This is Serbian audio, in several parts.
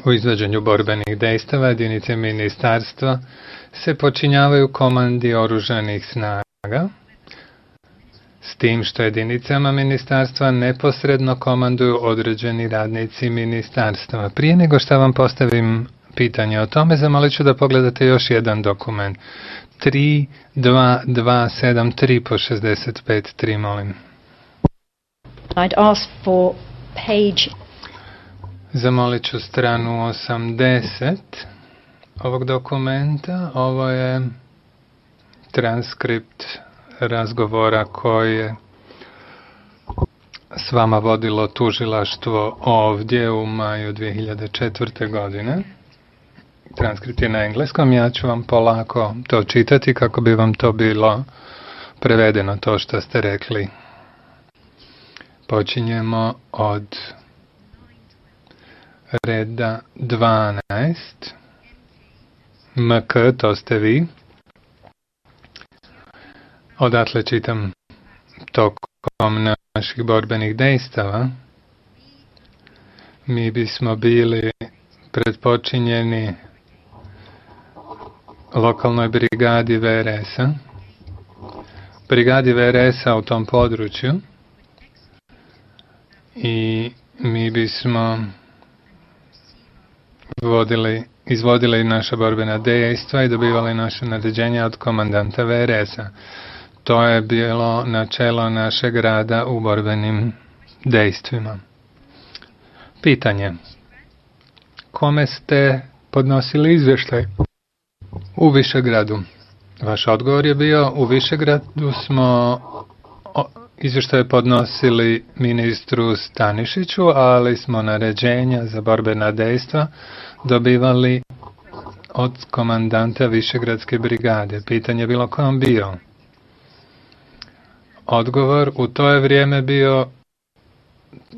U izvođenju borbenih dejstava jedinice ministarstva se počinjavaju komandi oružanih snaga, s tim što jedinicama ministarstva neposredno komanduju određeni radnici ministarstva. Prije nego što vam postavim pitanje o tome, zamolit ću da pogledate još jedan dokument. 32273 po 65.3, molim. I'd ask for page. Zamolit ću stranu 80 ovog dokumenta. Ovo je transkript razgovora koji je s vama vodilo tužilaštvo ovdje u maju 2004. godine. Transkript je na engleskom, ja ću vam polako to čitati kako bi vam to bilo prevedeno, to što ste rekli. Počinjemo od reda 12. MK, to ste vi. Odatle čitam tokom naših borbenih dejstava. Mi bismo bili predpočinjeni lokalnoj brigadi VRS-a. Brigadi VRS-a u tom području. I mi bismo izvodili naša borbena dejstva i dobivali naše naređenja od komandanta VRS-a. To je bilo načelo našeg rada u borbenim dejstvima. Pitanje. Kome ste podnosili izvještaj? U Višegradu. Vaš odgovor je bio, u Višegradu smo izvještaje podnosili ministru Stanišiću, ali smo naređenja za borbena dejstva dobivali od komandanta Višegradske brigade. Pitanje je bilo ko on bio. Odgovor u to je vrijeme bio,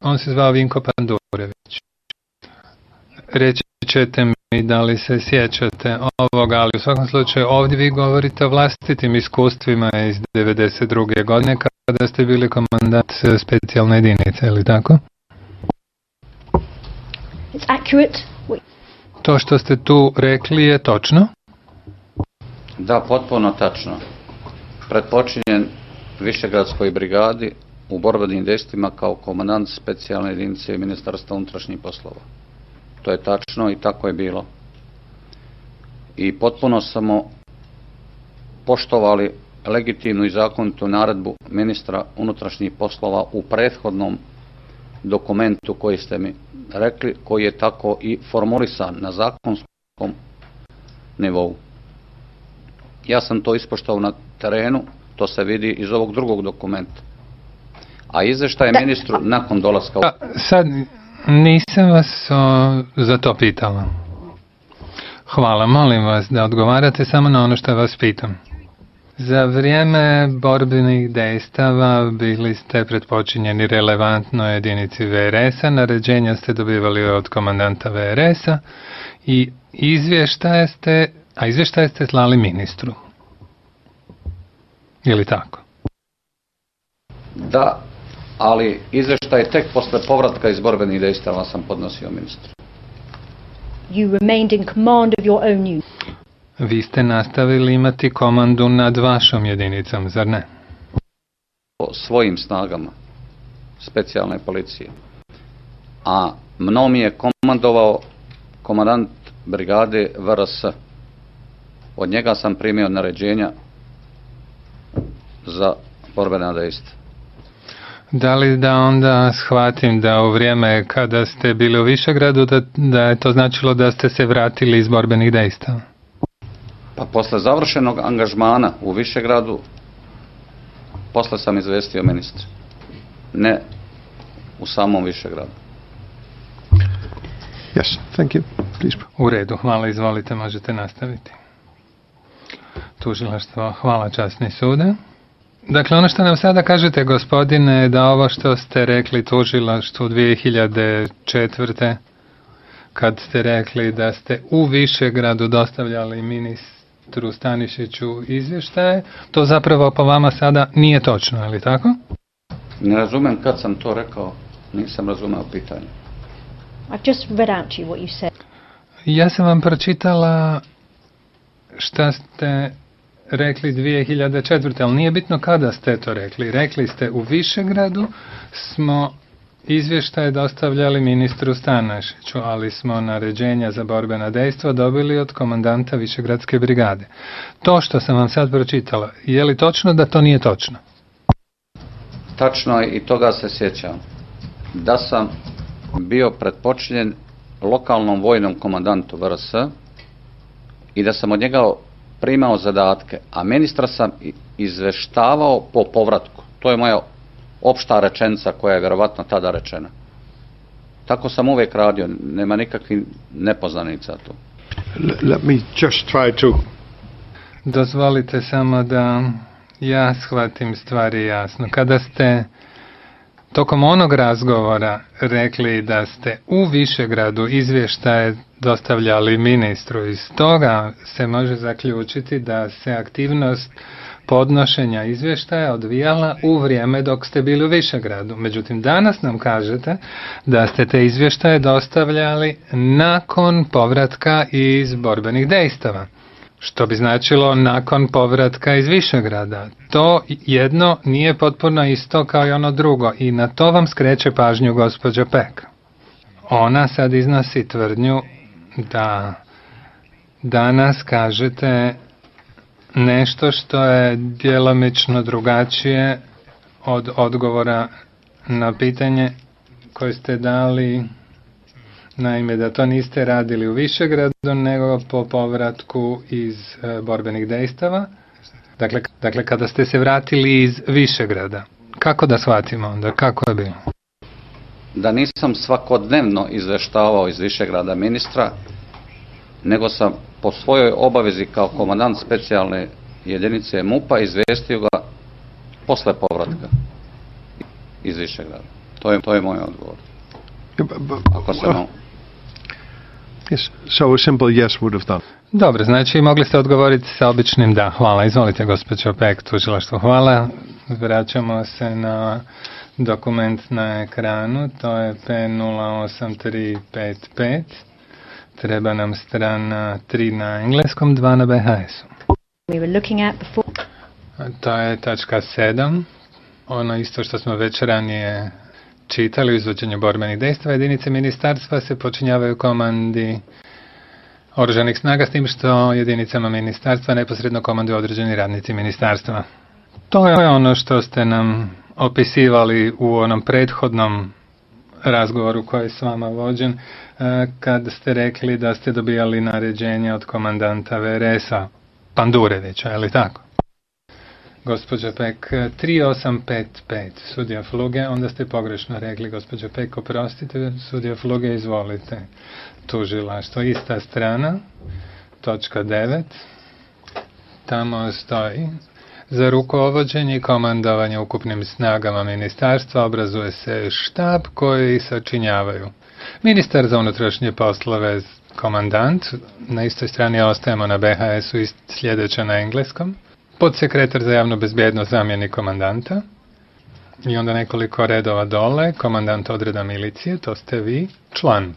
on se zvao Vinko Pandurević. Reći ćete mi da li se sjećate ovoga, ali u svakom slučaju ovdje vi govorite o vlastitim iskustvima iz 1992. godine kada ste bili komandant specijalne jedinice, ili tako? It's accurate. To što ste tu rekli je točno? Da, potpuno tačno. Predpočinjen Višegradskoj brigadi u borbenim dejstvima kao komandant specijalne jedinice Ministarstva unutrašnjih poslova. To je tačno i tako je bilo. I potpuno smo poštovali legitimnu i zakonitu naredbu ministra unutrašnjih poslova u prethodnom dokumentu koji ste mi rekli, koji je tako i formulisan na zakonskom nivou. Ja sam to ispoštovao na terenu, to se vidi iz ovog drugog dokumenta. A izvještaj ministru nakon dolaska... Sad nisam vas za to pitala. Hvala, molim vas da odgovarate samo na ono što vas pitam. Za vrijeme borbenih dejstava bili ste predpočinjeni relevantnoj jedinici VRS-a, naređenja ste dobivali od komandanta VRS-a i izvještaje ste slali ministru. Je li tako? Da, ali izvještaj tek posle povratka iz borbenih dejstava sam podnosio ministru. You remained in command of your own unit. Vi ste nastavili imati komandu nad vašom jedinicom, zar ne? O svojim snagama specijalne policije. A mnom je komandovao komandant brigade VRS. Od njega sam primio naređenja za borbena dejstva. Da li da onda shvatim da u vrijeme kada ste bili u Višegradu da je to značilo da ste se vratili iz borbenih dejstava? Pa posle završenog angažmana u Višegradu, posle sam izvestio ministra. Ne u samom Višegradu. Yes, thank you. Please. U redu, hvala, izvolite, možete nastaviti. Tužilaštvo, hvala, časni sude. Dakle, ono što nam sada kažete, gospodine, da ovo što ste rekli tužilaštvu 2004. kad ste rekli da ste u Višegradu dostavljali ministru Stanišiću izvještaje, to zapravo po vama sada nije točno, je li tako? Ne razumem kad sam to rekao, nisam razumeo pitanje. I've just read out to you what you said. Ja sam vam pročitala šta ste rekli 2004. ali nije bitno kada ste to rekli. Rekli ste u Višegradu smo izvještaje dostavljali ministru Stanašiću, ali smo naređenja za borbena dejstva dobili od komandanta Višegradske brigade. To što sam vam sad pročitala, je li točno da to nije točno? Tačno je i toga se sjećam. Da sam bio pretpočinjen lokalnom vojnom komandantu VRS i da sam od njega primao zadatke, a ministra sam izveštavao po povratku. To je moja opšta rečenica koja je vjerovatno tada rečena. Tako sam uvijek radio, nema nikakvih nepoznanica tu. Let me just try to... Dozvolite samo da ja shvatim stvari jasno. Kada ste tokom onog razgovora rekli da ste u Višegradu izvještaje dostavljali ministru, iz toga se može zaključiti da se aktivnost podnošenja izvještaja odvijala u vrijeme dok ste bili u Višegradu. Međutim, danas nam kažete da ste te izvještaje dostavljali nakon povratka iz borbenih dejstava. Što bi značilo nakon povratka iz Višegrada. To jedno nije potpuno isto kao i ono drugo i na to vam skreće pažnju gospođa Pek. Ona sad iznosi tvrdnju da danas kažete nešto što je djelomično drugačije od odgovora na pitanje koje ste dali. Naime, da to niste radili u Višegradu, nego po povratku iz borbenih dejstava. Dakle, kada ste se vratili iz Višegrada. Kako da shvatimo onda? Kako je bilo? Da nisam svakodnevno izveštavao iz Višegrada ministra, nego sam po svojoj obavezi kao komandant specijalne jedinice MUP-a izvestio ga posle povratka iz Višegrada. To je moj odgovor. Ako se Yes, so a simple yes would have done. Dobro, znači mogli ste odgovoriti sa običnim da. Hvala. Izvolite, gospođo Pek, tužilaštvo. Hvala. Vraćamo se na dokument na ekranu. To je P08355. Treba nam strana 3 na engleskom, 2 na BHS-u. To je tačka 7. Ono isto što smo već ranije čitali u izvođenju borbenih dejstava. Jedinice ministarstva se počinjavaju komandi oružanih snaga, s tim što jedinicama ministarstva neposredno komanduju određeni radnici ministarstva. To je ono što ste nam opisivali u onom prethodnom razgovoru koji je s vama vođen, kad ste rekli da ste dobijali naređenje od komandanta VRS-a Pandurevića, je li tako? Gospođa Pek, 3855, sudija Fluge, onda ste pogrešno rekli, gospođa Pek, oprostite, sudija Fluge, izvolite. Tužilaštvo, ista strana, točka 9, tamo stoji: za rukovođenje i komandovanje ukupnim snagama ministarstva obrazuje se štab koji sačinjavaju ministar za unutrašnje poslove, komandant, na istoj strani ostajemo na BHS-u i sljedeće na engleskom, podsekretar za javnu bezbjednost, zamjenik komandanta, i onda nekoliko redova dole, komandant odreda milicije, to ste vi, član.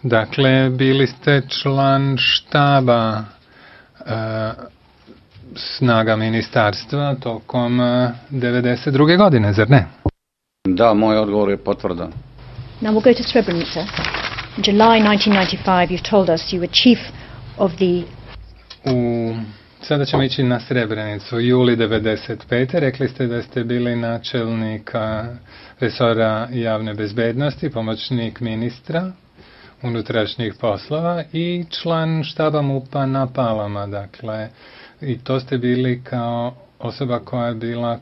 Dakle, bili ste član štaba snaga ministarstva tokom 92. godine, zar ne? Da, moj odgovor je potvrdan. Now we'll go to Srebrenica. In July 1995 you've told us you were chief of the... Sada ćemo ići na Srebrenicu. Juli 95. Rekli ste da ste bili načelnik resora javne bezbednosti, pomoćnik ministra unutrašnjih poslova i član štaba MUP-a na Palama. Dakle, i to ste bili kao osoba koja je bila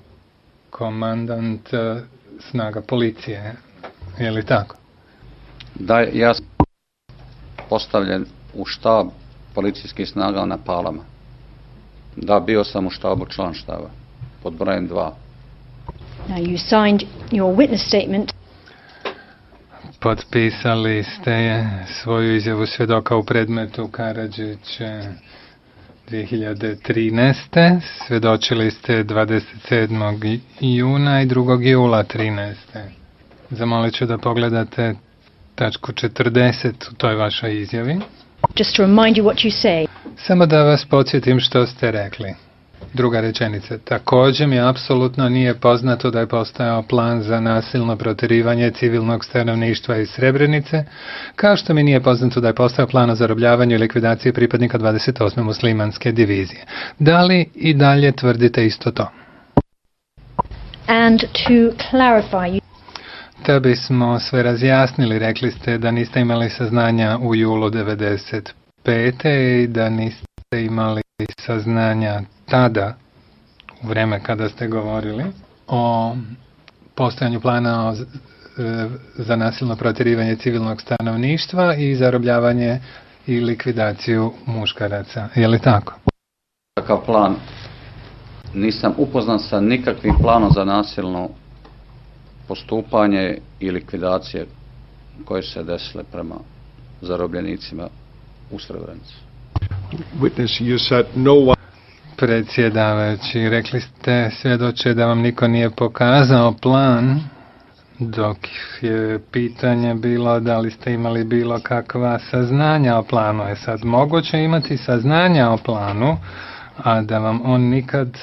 komandant snaga policije. Je li tako? Da, ja sam postavljen u štab policijskih snaga na Palama. Da, bio sam u štabu, član štaba, pod brojem 2. Now you signed your witness statement. Potpisali ste svoju izjavu svjedoka u predmetu Karadžić 2013. Svjedočili ste 27. juna i 2. jula 13. Zamolit ću da pogledate tačku 40 u toj vašoj izjavi. Just to remind you what you say. Samo da vas podsjetim što ste rekli. Druga rečenica. Također mi apsolutno nije poznato da je postojao plan za nasilno protjerivanje civilnog stanovništva iz Srebrenice, kao što mi nije poznato da je postojao plan o zarobljavanju i likvidaciji pripadnika 28. muslimanske divizije. Da li i dalje tvrdite isto to? And to clarify, Da bismo sve razjasnili, rekli ste da niste imali saznanja u julu 95. i da niste imali saznanja tada, u vreme kada ste govorili, o postojanju plana za nasilno protjerivanje civilnog stanovništva i zarobljavanje i likvidaciju muškaraca. Je li tako? Takav plan, nisam upoznan sa nikakvim planom za nasilno postupanje i likvidacije koje se desile prema zarobljenicima u Srebrenici. Witness, you said no one... Predsjedavajući, rekli ste, svjedoče, da vam niko nije pokazao plan, dok je pitanje bilo da li ste imali bilo kakva saznanja o planu. Je sad moguće imati saznanja o planu, a da vam on nikad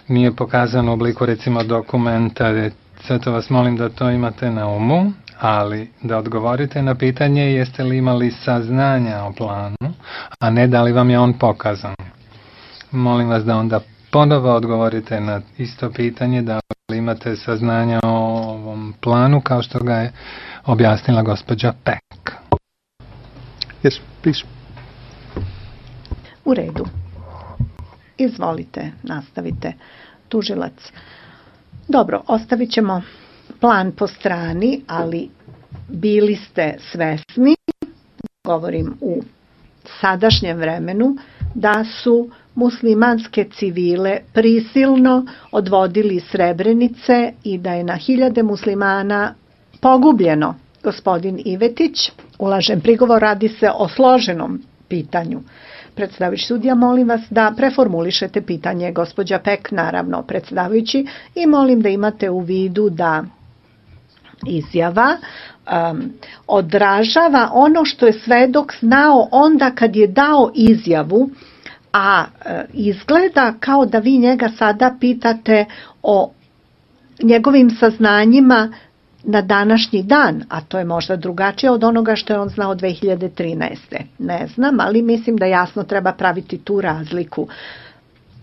nije pokazan u obliku, recimo, dokumenta. Zato vas molim da to imate na umu, ali da odgovorite na pitanje jeste li imali saznanja o planu, a ne da li vam je on pokazan. Molim vas da onda ponovo odgovorite na isto pitanje, da li imate saznanja o ovom planu kao što ga je objasnila gospođa Peck. Yes, please. U redu. Izvolite, nastavite. Tužilac. Dobro, ostavit ćemo plan po strani, ali bili ste svesni, govorim u sadašnjem vremenu, da su muslimanske civile prisilno odvodili iz Srebrenice i da je na hiljade muslimana pogubljeno. Gospodin Ivetić, ulažem prigovor, radi se o složenom pitanju. Predstavljajući sudija, molim vas da preformulišete pitanje. Gospođa Peck, naravno, predstavljajući, i molim da imate u vidu da izjava odražava ono što je svedok znao onda kad je dao izjavu, a izgleda kao da vi njega sada pitate o njegovim saznanjima na današnji dan, a to je možda drugačije od onoga što je on znao 2013. Ne znam, ali mislim da jasno treba praviti tu razliku.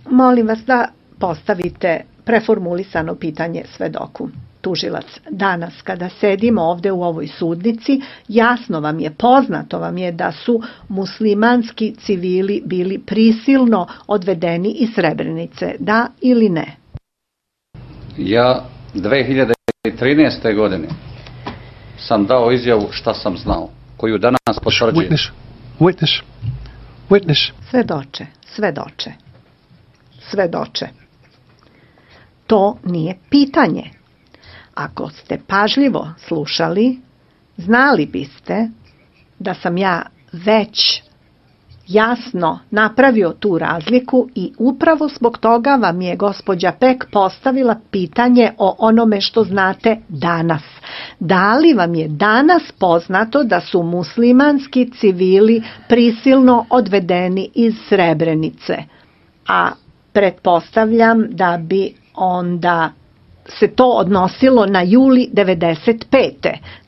Molim vas da postavite preformulisano pitanje svedoku. Tužilac, danas kada sedimo ovdje u ovoj sudnici, jasno vam je, poznato vam je da su muslimanski civili bili prisilno odvedeni iz Srebrenice, da ili ne? Ja 2013. godine sam dao izjavu šta sam znao, koju danas potvrđujem. Witness. Svedoče. To nije pitanje. Ako ste pažljivo slušali, znali biste da sam ja već jasno napravio tu razliku i upravo zbog toga vam je gospođa Peck postavila pitanje o onome što znate danas. Da li vam je danas poznato da su muslimanski civili prisilno odvedeni iz Srebrenice? A pretpostavljam da bi onda se to odnosilo na juli 95.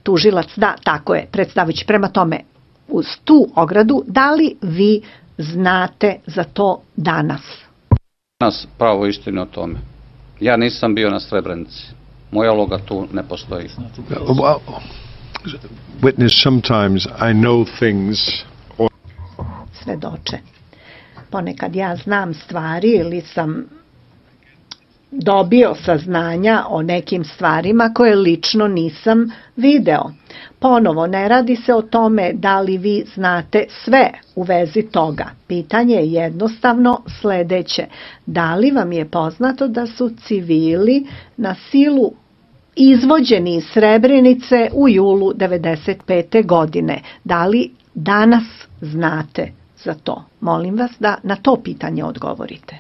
Tužilac, da, tako je, predstavujući. Prema tome, uz tu ogradu, da li vi znate za to danas? Danas pravo istinu o tome. Ja nisam bio na Srebrenici. Moja uloga tu ne postoji. Witness, sometimes I know things. Svedoče. Ponekad ja znam stvari ili sam dobio saznanja o nekim stvarima koje lično nisam video. Ponovo, ne radi se o tome da li vi znate sve u vezi toga. Pitanje je jednostavno sljedeće. Da li vam je poznato da su civili na silu izvođeni iz Srebrenice u julu 95. godine? Da li danas znate za to? Molim vas da na to pitanje odgovorite.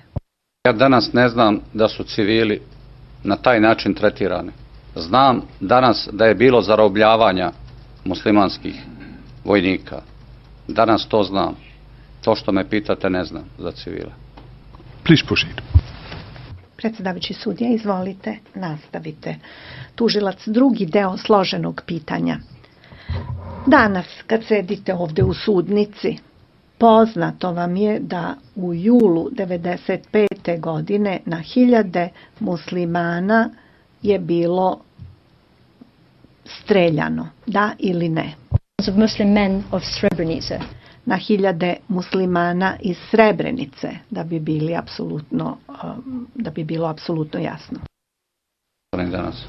Ja danas ne znam da su civili na taj način tretirani. Znam danas da je bilo zarobljavanja muslimanskih vojnika. Danas to znam. To što me pitate ne znam za civile. Please proceed. Predsjedavajući sudija, izvolite, nastavite. Tužilac, drugi deo složenog pitanja. Danas, kad sedite ovde u sudnici, poznato vam je da u julu 1995. godine na hiljade muslimana je bilo streljano, da ili ne? Of Muslim men of Srebrenica. Na hiljade muslimana iz Srebrenice, da bi bilo apsolutno jasno. Danas.